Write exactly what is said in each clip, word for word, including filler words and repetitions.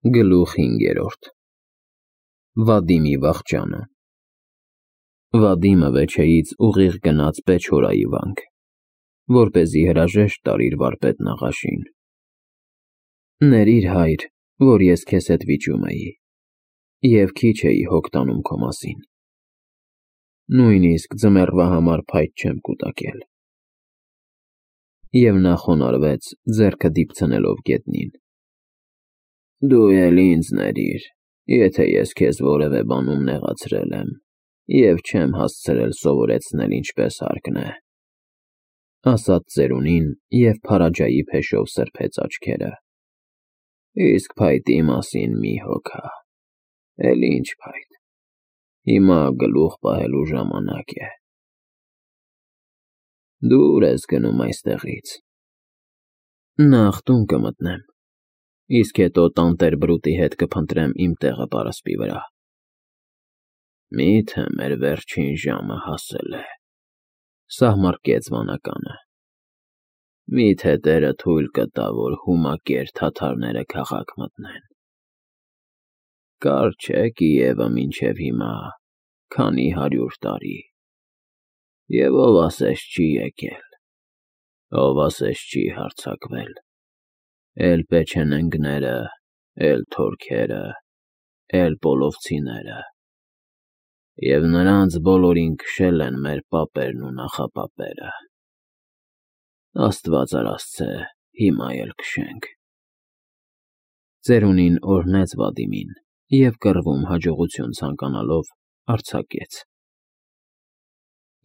Գլուխ հինգերորդ Վադիմի վախճանը Վադիմը վեչեից ուղիղ գնաց Պեչորայի վանք, որպեսզի հրաժեշտ տար իր վարպետ Նաղաշին. Ներիր, հայր, որ ես քեզ հետ վիճում էի, և քիչ էի հոգ տանում քո մասին, նույնիսկ ձմեռվա համար փայտ չեմ կուտակել։ Եվ նա խոնարհվեց, ձեռքը դիպցնելով գետնին. Դու էլ ինձ ներիր, եթե ես քեզ որևէ բանում նեղացրել եմ և չեմ հասցրել սովորեցնել ինչպես հարկն է, ասաց ծերունին և փարաջայի փեշով սրբեց աչքերը, իսկ փայտի մասին մի հոգա, էլ ինչ փայտ, հիմա գլուխ պահելու ժամանակ է։ Դու ուր ես գնում այստեղից։ Նախ տուն կմտնեմ, իսկ հետո տանտեր Բրուտի հետ կփնտրեմ իմ տեղը պարսպի վրա։ Մի՞թե մեր վերջին ժամը հասել է, սահմռկեց վանականը, մի՞թե տերը թույլ կտա, որ հումակեր թաթարները քաղաք մտնեն։ Կարճ չէ Կիևը մինչև հիմա, քանի հարյուր տարի, և ով ասես չի եկել, ով ասես չի հարձակվել, էլ պեչենեգները, էլ թորքերը, էլ պոլովցիները, և նրանց բոլորին քշել են մեր պապերն ու նախապապերը, Աստված արասցե, հիմա էլ քշենք։ Ծերունին օրհնեց Վադիմին և կռվում հաջողություն ցանկանալով արձակեց։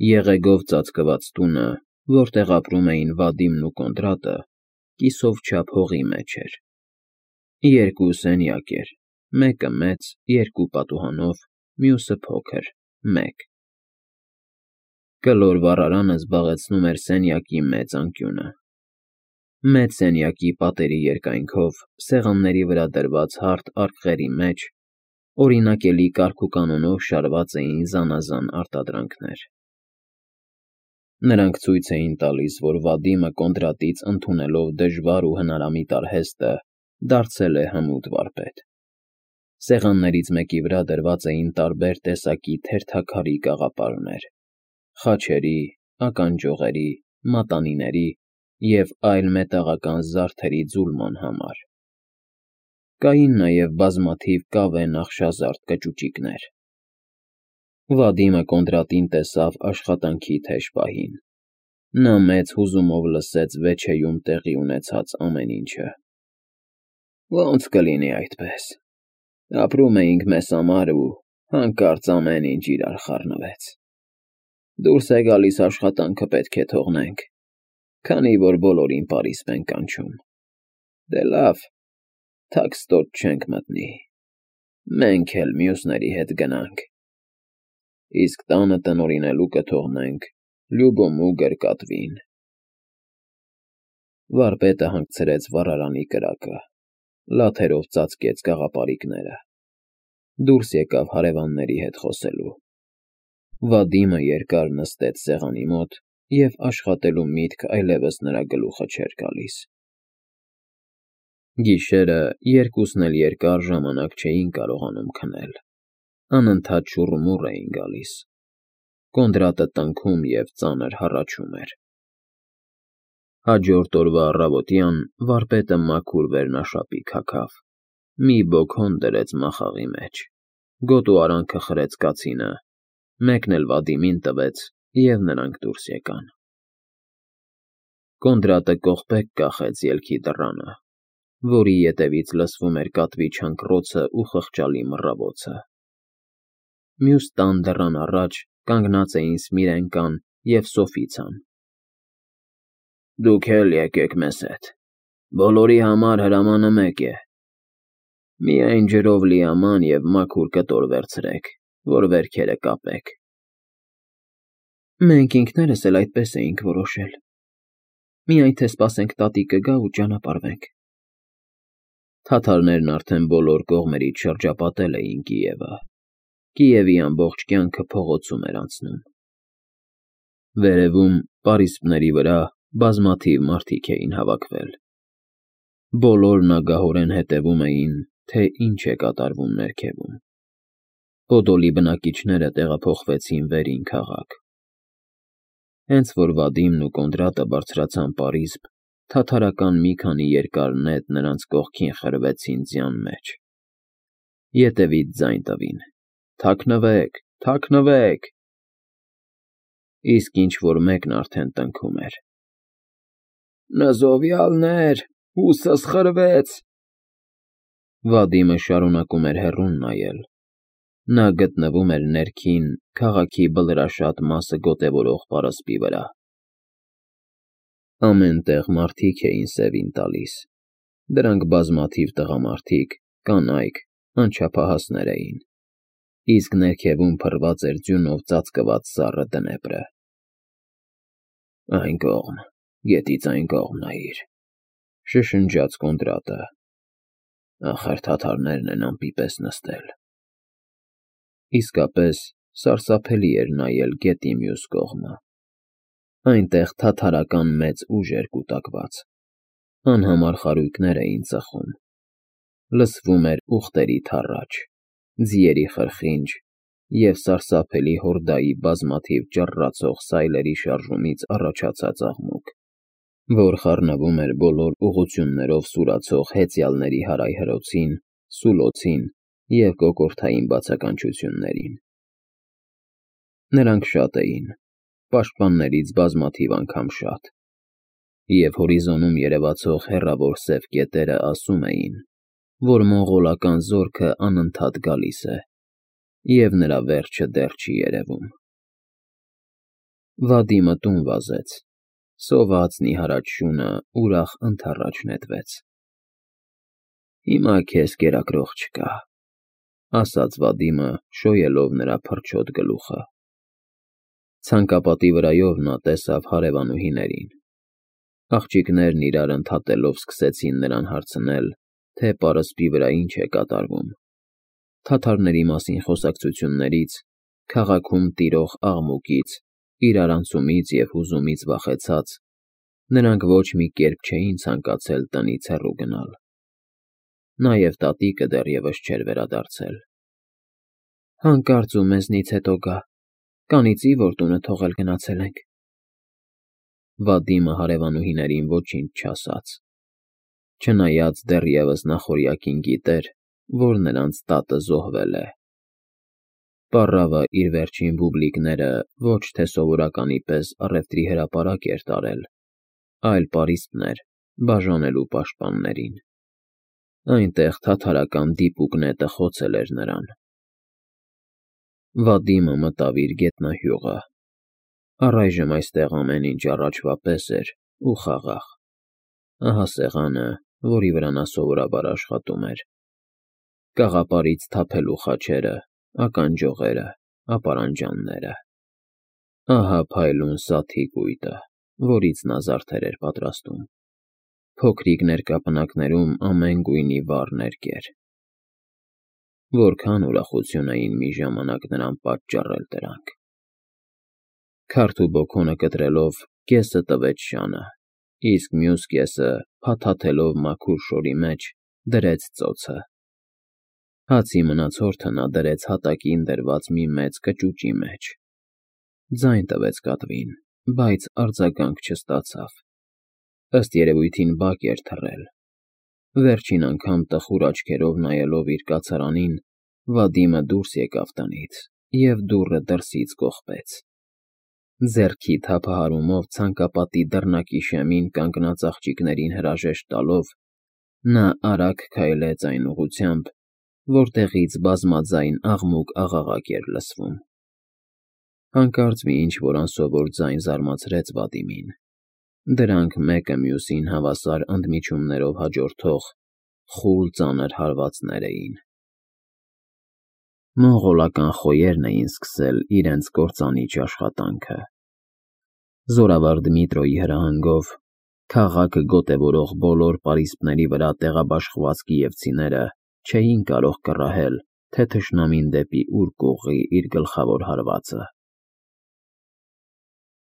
Եղեգով ծածկված տունը, որտեղ ապրում էին Վադիմն ու Կոնդրատը, կիսով չափ հողի մեջ էր։ Երկու սենյակ էր, մեկը մեծ, երկու պատուհանով, մյուսը փոքր, մեկ։ Կլոր վառարանը զբաղեցնում էր սենյակի մեծ անկյունը։ Մեծ սենյակի պատերի երկայնքով, սեղանների վրա դրված հարթ արկղերի մեջ, օրինակելի կարգուկանոնով շարված էին զանազան արտադրանքներ։ Նրանք ցույց էին տալիս, որ Վադիմը Կոնդրատից ընդունելով դժվար ու հնարամիտ արհեստը, դարձել է հմուտ վարպետ։ Սեղաններից մեկի վրա դրված էին տարբեր տեսակի թերթաքարի կաղապարներ, խաչերի, ականջողերի, մատանիների և այլ մետաղական զարդերի ձուլման համար։ Կային նաև բազմաթիվ կավե նախշազարդ կճուճիկներ։ Վադիմը Կոնդրատին տեսավ աշխատանքի թեժ պահին։ Նա մեծ հուզումով լսեց վեչեում տեղի ունեցած ամեն ինչը։ Ոնց կլինի այդպես, ապրում էինք մեզ համար ու հանկարծ ամեն ինչ իրար խառնվեց։ Դուրս է գալիս աշխատանքը պետք է թողնենք, քանի որ բոլորին պարիսպ են կանչում։ Դե լավ, թաքստոտ չենք մտնի, մենք էլ մյուսների հետ գնանք, իսկ տանը տնօրինելու կթողնենք Լյուբոմու գրկատվին։ Վարպետը հանգցրեց վառարանի կրակը, լաթերով ծածկեց կաղապարիկները, դուրս եկավ հարևանների հետ խոսելու։ Վադիմը երկար նստեց սեղանի մոտ և աշխատելու միտք այլևս նրա գլուխը չէր գալիս։ Գիշերը երկուսն էլ երկար ժամանակ չէին կարողանում քնել, անընդհատ շուռումուռ էին գալիս։ Կոնդրատը տնքում և ծանր հառաչում էր։ Հաջորդ օրվա առավոտյան վարպետը մաքուր վերնաշապիկ հագավ, մի բոքոն դրեց մախաղի մեջ, գոտու արանքը խրեց կացինը, մեկն էլ Վադիմին տվեց, և նրանք դուրս եկան։ Կոնդրատը կողպեք կախեց ելքի դռանը, որի ետևից լսվում էր կատվի չանկռոցն ու խղճալի մռավոցը։ Մյուս տան դռան առաջ կանգնած էին Սմիրենկան և Սոֆիցան։ Դուք էլ եկեք մեզ հետ, բոլորի համար հրամանը մեկ է, միայն ջրով լի աման և մաքուր կտոր վերցրեք, որ վերքերը կապեք։ Մենք ինքներս էլ այդպես էինք որոշել, միայն թե սպասենք տատիկը գա ու ճանապարհվենք։ Թաթարներն արդեն բոլոր կողմերից շրջապատել էին Կիևը, Կիևի ամբողջ կյանքը փողոցում էր անցնում։ Վերևում, պարիսպների վրա բազմաթիվ մարդիկ էին հավաքվել։ Բոլորն ագահորեն հետևում էին թե ինչ է կատարվում ներքևում։ Պոդոլի բնակիչները տեղափոխվեցին վերին քաղաք։ Հենց որ Վադիմն ու Կոնդրատը բարձրացան պարիսպ, թաթարական մի քանի երկար նետ նրանց կողքին խրվեցին ձյան մեջ։ Ետևից ձայն տվին. «Թաքնվեք, թաքնվեք»։ Իսկ ինչ-որ մեկն արդեն տնքում էր. «Նզովյալներ, հուսս խրվեց»։ Վադիմը շարունակում էր հեռուն նայել։ Նա գտնվում էր ներքին, քաղաքի բլրաշատ մասը գոտևորող պարսպի վրա։ Ամեն տեղ մարդիկ էին սևին տալիս։ Դրանք բազմաթիվ տղամարդիկ, կանայք, անչափահասներ էին, իսկ ներքևում փռված էր ձյունով ծածկված սառը դնեպրը։ «Այն կողմ, գետից այն կողմ նայիր», շշնջաց Կոնդրատը։ «Ախր թաթարներն են ամպի պես նստել»։ Իսկապես սարսափելի էր նայել գետի մյուս կողմը։ Այնտեղ թաթարական մեծ ուժ էր կուտակված։ Անհամար խարույկներ էին ծխում։ Լսվում էր ուղտերի թառաչ, ձիերի խրխինջ և սարսափելի հորդայի բազմաթիվ ճռռացող սայլերի շարժումից առաջացած աղմուկ, որ խառնվում էր բոլոր ուղղություններով սուրացող հեծյալների հարայհրոցին, սուլոցին և կոկորդային բացականչություններին։ Նրանք շատ էին, պաշտպաններից բազմաթիվ անգամ շատ, և հորիզոնում երևացող հեռավոր սև կետերը ասում էին, որ մոնղոլական զորքը անընդհատ գալիս է, և նրա վերջը դեռ չի երևում։ Վադիմը տուն վազեց, սոված նիհարած շունը ուրախ ընդառաջ նետվեց։ «Հիմա քեզ կերակրող չկա», ասաց Վադիմը, շոյելով նրա փռչոտ գլուխը։ Ցանկապատի վրայով նա տեսավ հարևանուհիներին։ Աղջիկներն իրար ընդհատելով սկսեցին նրան հարցնել, թե պարսպի վրա ինչ է կատարվում։ Թաթարների մասին խոսակցություններից, քաղաքում տիրող աղմուկից, իրարանցումից և հուզումից վախեցած, նրանք ոչ մի կերպ չէին ցանկացել տնից հեռու գնալ։ Նաև տատիկը դեռևս չէր վերադարձել։ «Հանկարծ ու մեզնից հետո գա, կանիծի, որ տունը թողել գնացել ենք»։ Վադիմը հարևանուհիներին ոչինչ չասաց, չնայած դեռևս նախօրյակին գիտեր, որ նրանց տատը զոհվել է։ Պառավը իր վերջին բուբլիկները ոչ թե սովորականի պես առևտրի հրապարակ էր տարել, այլ պարիսպներ, բաժանելու պաշտպաններին։ Այնտեղ թաթարական դիպուկ նետը խոցել էր նրան։ Վադիմը մտավ իր գետնահյուղը։ Առայժմ այստեղ ամեն ինչ առաջվա պես էր ու խաղաղ։ Ահա սեղանը, որի վրա նա սովորաբար աշխատում էր, կաղապարից թափելու խաչերը, ականջողերը, ապարանջանները։ Ահա փայլուն սաթի կույտը, որից նա զարդեր էր պատրաստում։ Փոքրիկ ներկապնակներում ամեն գույնի վառ ներկեր։ Որքան ուրախություն էին մի ժամանակ նրան պատճառել դրանք։ Քարդ ու բոքոնը կտրելով կեսը տվեց շանը, իսկ մյուս կեսը, փաթաթելով մաքուր շորի մեջ, դրեց ծոցը։ Հացի մնացորդը նա դրեց հատակին դրված մի մեծ կճուճի մեջ։ Ձայն տվեց կատվին, բայց արձագանք չստացավ։ Ըստ երևույթին բակ էր թռել։ Վերջին անգամ տխուր աչքերով նայելով իր կացարանին, Վադիմը դուրս եկավ տնից և դուռը դրսից կողպեց։ Ձեռքի թափահարումով ցանկապատի դռնակի շեմին կանգնած աղջիկներին հրաժեշտ տալով, նա արագ քայլեց այն ուղղությամբ, որտեղից բազմաձայն աղմուկ֊աղաղակ էր լսվում։ Հանկարծ մի ինչ-որ անսովոր ձայն զարմացրեց Վադիմին։ Դրանք մեկը մյուսին հավասար ընդմիջումներով հաջորդող խուլ ծանր հարվածներ էին։ Մոնղոլական խոյերն էին սկսել իրենց կործանիչ աշխատանքը։ Զորավար Դմիտրոյի հրահանգով քաղաքը գոտևորող բոլոր պարիսպների վրա տեղաբաշխված կիևցիները չէին կարող կռահել, թե թշնամին դեպի ուր կուղղի իր գլխավոր հարվածը։